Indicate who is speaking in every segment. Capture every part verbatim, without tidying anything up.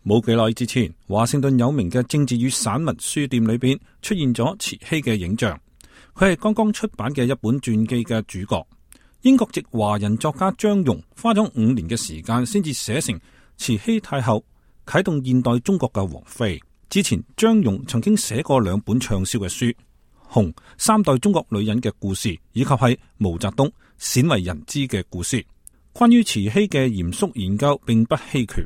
Speaker 1: 冇幾耐之前，華盛頓有名嘅政治與散文書店裏邊出現咗慈禧嘅影像。佢係剛剛出版嘅一本傳記嘅主角。英國籍華人作家張榕花咗五年嘅時間先至寫成慈禧太后，啟動現代中國嘅王妃。之前張榕曾經寫過兩本暢銷嘅書，紅三代中國女人嘅故事，以及係毛澤東鮮為人知嘅故事。關於慈禧嘅嚴肅研究並不稀缺。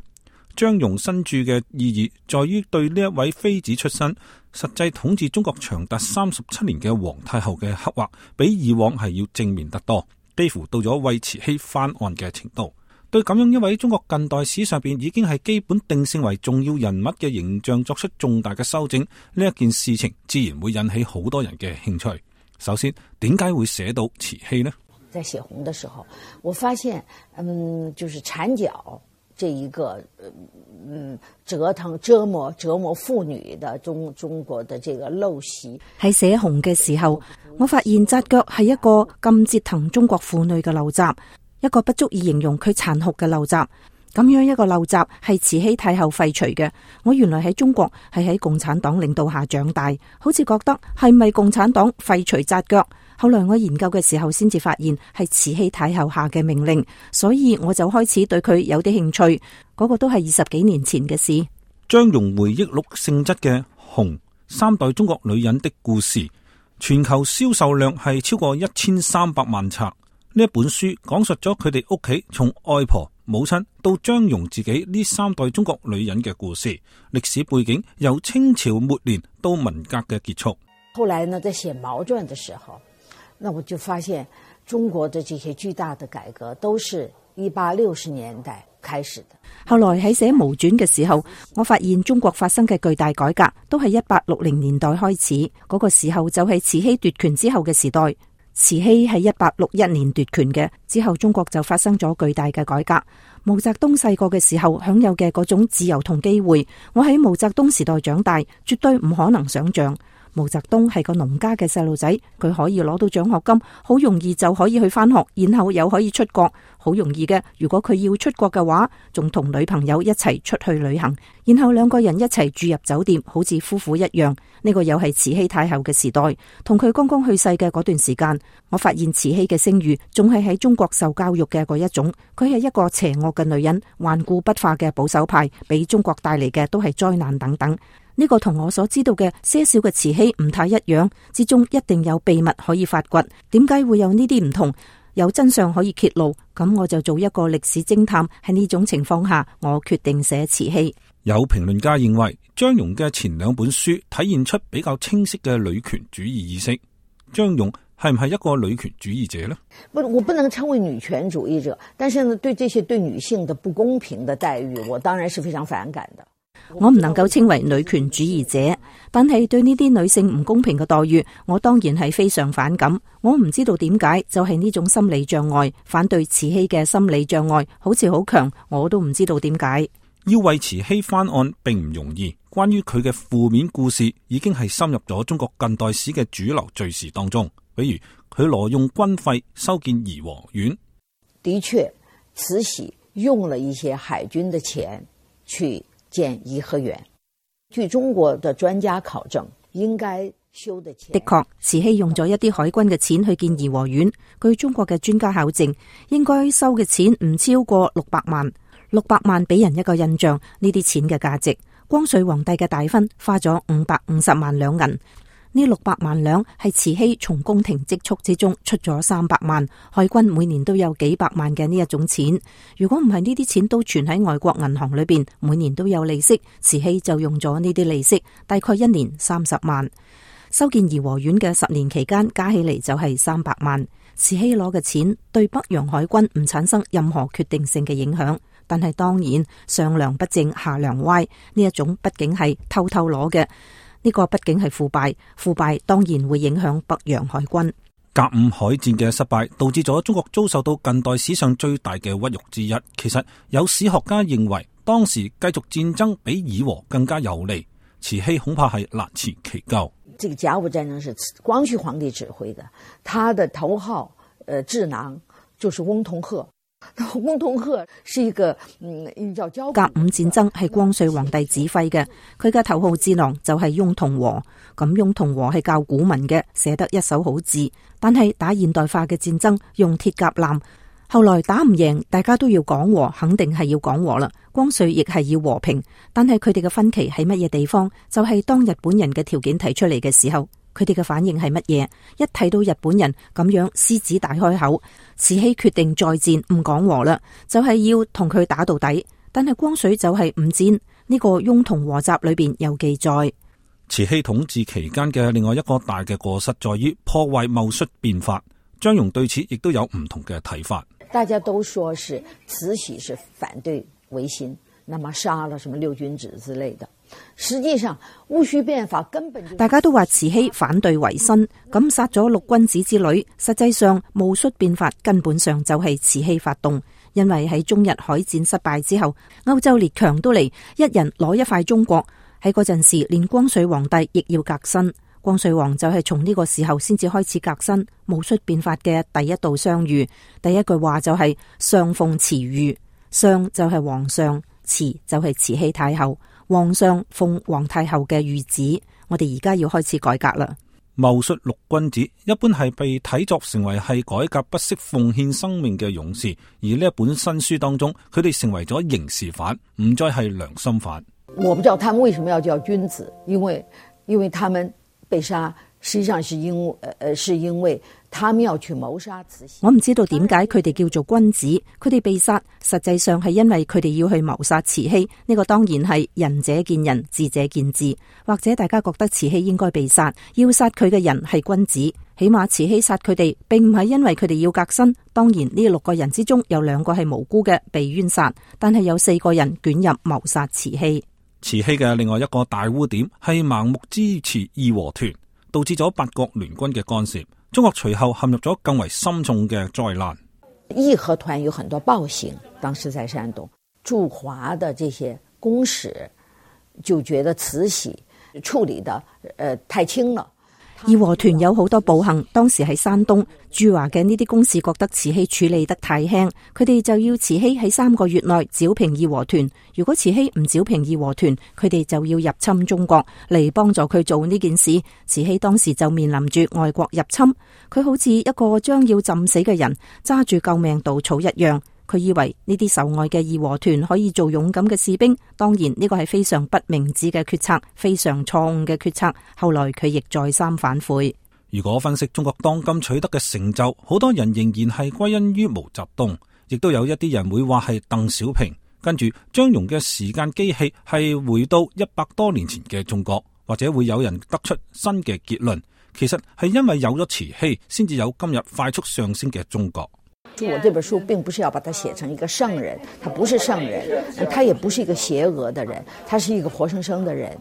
Speaker 1: 張榕新著嘅意義在於對呢一位妃子出身、實際統治中國長達三十七年嘅皇太后嘅刻畫，比以往係要正面得多，幾乎到咗為慈禧翻案嘅程度。對咁樣一位中國近代史上邊已經係基本定性為重要人物嘅形象作出重大嘅修正，呢一件事情自然會引起好多人嘅興趣。首先，點解會寫到慈禧呢？
Speaker 2: 在寫紅的時候，我發現，嗯，就是纏腳這一個，嗯，折騰、折磨、折磨婦女的中中國的這個陋習。
Speaker 3: 喺寫紅嘅時候，我發現紮腳係一個咁折騰中國婦女嘅陋習，一個不足以形容佢殘酷嘅陋習。咁樣一個陋習係慈禧太后廢除嘅。我原來喺中國係喺共產黨領導下長大，好似覺得係咪共產黨廢除紮腳？後來我研究嘅時候先至發現係慈禧太后下嘅命令，所以我就開始對佢有啲興趣。嗰個都係二十幾年前嘅事。
Speaker 1: 張榕回憶錄性質嘅《紅三代中國女人的故事》，全球銷售量係超過一千三百萬冊。呢一本書講述咗佢哋屋企從外婆、母親到張榕自己呢三代中國女人嘅故事，歷史背景由清朝末年到文革嘅結束。
Speaker 2: 後來呢，在寫毛傳的時候，那我就發現中國的這些巨大的改革都是一八六十年代開始的。
Speaker 3: 後來喺寫毛傳嘅時候，我發現中國發生嘅巨大改革都係一八六零年代開始，嗰個時候就係慈禧奪權之後嘅時代。慈禧係一八六一年奪權嘅，之後中國就發生咗巨大嘅改革。毛澤東細個嘅時候享有嘅嗰種自由同機會，我喺毛澤東時代長大，絕對唔可能想象。毛澤東係個農家嘅細路仔，佢可以攞到獎學金，好容易就可以去返學，然後又可以出國，好容易嘅。如果佢要出國嘅話，仲同女朋友一齊出去旅行，然後兩個人一齊住入酒店，好似夫婦一樣。呢個又係慈禧太后嘅時代，同佢剛剛去世嘅嗰段時間，我發現慈禧嘅聲譽仲係喺中國受教育嘅嗰一種。佢係一個邪惡嘅女人，頑固不化嘅保守派，俾中國帶嚟嘅都係災難等等。呢個同我所知道嘅些少嘅慈禧唔太一樣，之中一定有秘密可以發掘。點解會有呢啲唔同？有真相可以揭露，咁我就做一個歷史偵探。喺呢種情況下，我決定寫慈禧。
Speaker 1: 有評論家認為，張榕嘅前兩本書體現出比較清晰嘅女權主義意識。張榕係唔係一個女權主義者呢？
Speaker 2: 不，我不能稱為女權主義者，但是呢，對這些對女性的不公平的待遇，我當然是非常反感的。
Speaker 3: 我唔能夠稱為女權主義者，但係對呢啲女性唔公平嘅待遇，我當然係非常反感。我唔知道點解，就係呢種心理障礙，反對慈禧嘅心理障礙好似好強，我都唔知道點解。
Speaker 1: 要為慈禧翻案並唔容易，關於佢嘅負面故事已經係深入咗中國近代史嘅主流敘事當中。比如佢挪用軍費修建頤和園，
Speaker 2: 的確慈禧用了一些海軍的錢去建頤和園。據中國的專家考證，應該修的錢
Speaker 3: 的確，慈禧用咗一啲海軍嘅錢去建頤和園。據中國嘅專家考證，應該收嘅錢唔超過六百萬。六百萬俾人一個印象，呢啲錢嘅價值。光緒皇帝嘅大婚花咗五百五十萬兩銀，呢六百萬兩係慈禧從宮廷積蓄之中出咗三百萬，海軍每年都有幾百萬嘅呢一種錢。如果唔係呢啲錢都存喺外國銀行裏邊，每年都有利息，慈禧就用咗呢啲利息，大概一年三十萬。修建頤和園嘅十年期間加起嚟就係三百萬。慈禧攞嘅錢對北洋海軍唔產生任何決定性嘅影響。但係當然上梁不正下梁歪，呢一種畢竟係偷偷攞嘅，呢個畢竟係腐敗，腐敗當然會影響北洋海軍。
Speaker 1: 甲午海戰嘅失敗導致咗中國遭受到近代史上最大嘅屈辱之一。其實有史學家認為當時繼續戰爭比議和更加有利，慈禧恐怕係難辭其咎。
Speaker 2: 這個甲午戰爭是光緒皇帝指揮的，他的頭號呃智囊就是翁同龢。洪同赫是一個嗯，叫交
Speaker 3: 甲午戰爭係光緒皇帝指揮嘅，佢嘅頭號智囊就係翁同龢。咁翁同龢係教古文嘅，寫得一手好字。但係打現代化嘅戰爭用鐵甲艦，後來打唔贏，大家都要講和，肯定係要講和啦。光緒亦係要和平，但係佢哋嘅分歧喺乜嘢地方？就係、是、當日本人嘅條件提出嚟嘅時候，佢哋嘅反應係乜嘢？一睇到日本人咁樣獅子大開口，慈禧決定再戰，唔講和啦，就係、是、要同佢打到底。但係光緒就係唔戰，呢、這個翁同龢集裏邊有記載。
Speaker 1: 慈禧統治期間嘅另外一個大嘅過失在於破壞戊戌變法，張容對此亦都有唔同嘅睇法。
Speaker 2: 大家都說是慈禧是反對維新，那麼殺了什麼六君子之類的。實際上戊戌變法根本就
Speaker 3: 大家都話慈禧反對維新，咁殺咗六君子之類。實際上戊戌變法根本上就係慈禧發動，因為喺中日海戰失敗之後，歐洲列強都嚟一人攞一塊中國。喺嗰陣時，連光緒皇帝亦要革新。光緒皇就係從呢個時候先至開始革新。戊戌變法嘅第一道相遇，第一句話就係上奉慈諭，上就係皇上，慈就係慈禧太后。皇上奉皇太后嘅諭旨，我哋而家要開始改革啦。
Speaker 1: 戊戌六君子一般係被睇作成為係改革不惜奉獻生命嘅勇士，而呢一本新書當中，佢哋成為咗刑事犯，唔再係良心犯。
Speaker 2: 我不知道他們為什麼要叫君子，因為因為他們被殺，實際上是因為呃是因為他們要去謀殺慈禧。
Speaker 3: 我唔知道點解佢哋叫做君子，佢哋被殺，實際上係因為佢哋要去謀殺慈禧。呢個當然係仁者見仁，智者見智。或者大家覺得慈禧應該被殺，要殺佢嘅人係君子，起碼慈禧殺佢哋，並唔係因為佢哋要革新。當然呢六個人之中有兩個係無辜嘅被冤殺，但係有四個人捲入謀殺慈禧。
Speaker 1: 慈禧嘅另外一個大污點係盲目支持義和團，導致咗八國聯軍嘅干涉，中國隨後陷入咗更為深重嘅災難。
Speaker 2: 義和團有很多暴行，當時在山東駐華的這些公使就覺得慈禧處理得呃太輕了。
Speaker 3: 義和團有好多暴行，當時喺山東駐華嘅呢啲公使覺得慈禧處理得太輕，佢哋就要慈禧喺三個月內剿平義和團。如果慈禧唔剿平義和團，佢哋就要入侵中國嚟幫助佢做呢件事。慈禧當時就面臨住外國入侵，佢好似一個將要浸死嘅人，揸住救命稻草一樣。佢以為呢啲受愛嘅義和團可以做勇敢嘅士兵，當然呢個係非常不明智嘅決策，非常錯誤嘅決策。後來佢亦再三反悔。
Speaker 1: 如果分析中國當今取得嘅成就，好多人仍然係歸因於毛澤東，亦都有一啲人會話係鄧小平。跟住張容嘅時間機器係回到一百多年前嘅中國，或者會有人得出新嘅結論，其實係因為有咗慈禧，先至有今日快速上升嘅中國。
Speaker 2: 我這本書並不是要把它寫成一個聖人，他不是聖人，他也不是一個邪惡的人，他是一個活生生的人。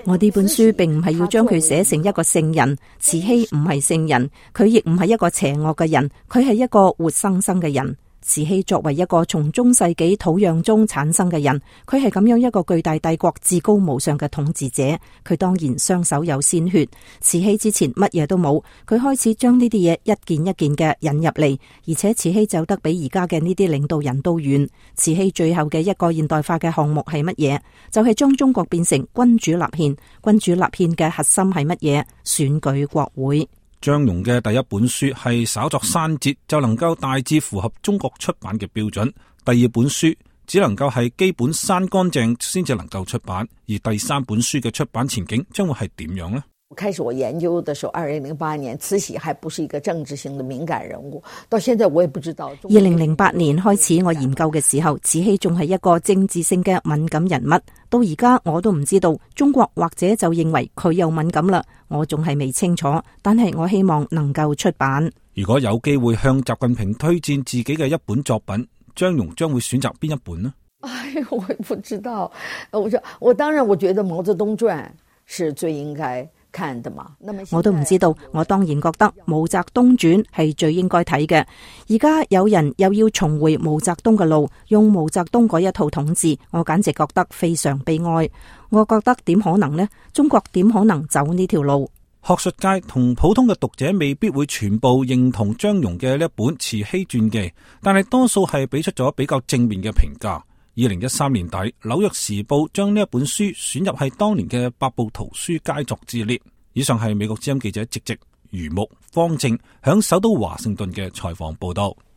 Speaker 3: 我呢本書並唔係要將佢寫成一個聖人，慈禧唔係聖人，佢亦唔係一個邪惡嘅人，佢係一個活生生嘅人。慈禧作為一個從中世紀土壤中產生嘅人，佢係咁樣一個巨大帝國至高無上嘅統治者，佢當然雙手有鮮血。慈禧之前乜嘢都冇，佢開始將呢啲嘢一件一件嘅引入嚟，而且慈禧走得比而家嘅呢啲領導人都遠。慈禧最後嘅一個現代化嘅項目係乜嘢？就係將中國變成君主立憲。君主立憲嘅核心係乜嘢？選舉國會。
Speaker 1: 張容嘅第一本書係稍作刪節就能夠大致符合中國出版嘅標準，第二本書只能夠係基本刪乾淨先至能夠出版，而第三本書嘅出版前景將會係點樣呢？
Speaker 2: 開始我研究的時候，二零零八年慈禧還不是一個政治性的敏感人物，到現在我也不知道。
Speaker 3: 二零零八年開始我研究嘅時候，慈禧仲係一個政治性嘅敏感人物，到而家我都唔知道中國或者就認為佢有敏感啦，我仲係未清楚，但係我希望能夠出版。
Speaker 1: 如果有機會向習近平推薦自己嘅一本作品，張容將會選擇邊一本呢？
Speaker 2: 哎，我也不知道。我說我當然我覺得毛澤東傳是最應該看的嘛。
Speaker 3: 我都唔知道，我當然覺得毛澤東傳係最應該睇嘅。而家有人又要重回毛澤東嘅路，用毛澤東嗰一套統治，我簡直覺得非常悲哀。我覺得點可能呢？中國點可能走呢條路？
Speaker 1: 學術界同普通嘅讀者未必會全部認同張戎嘅呢一本慈禧傳記，但係多數係俾出咗比較正面嘅評價。二零一三年底，紐約時報將呢一本書選入係當年嘅百部圖書佳作之列。以上係美國之音記者直直、余木、方正響首都華盛頓嘅採訪報道。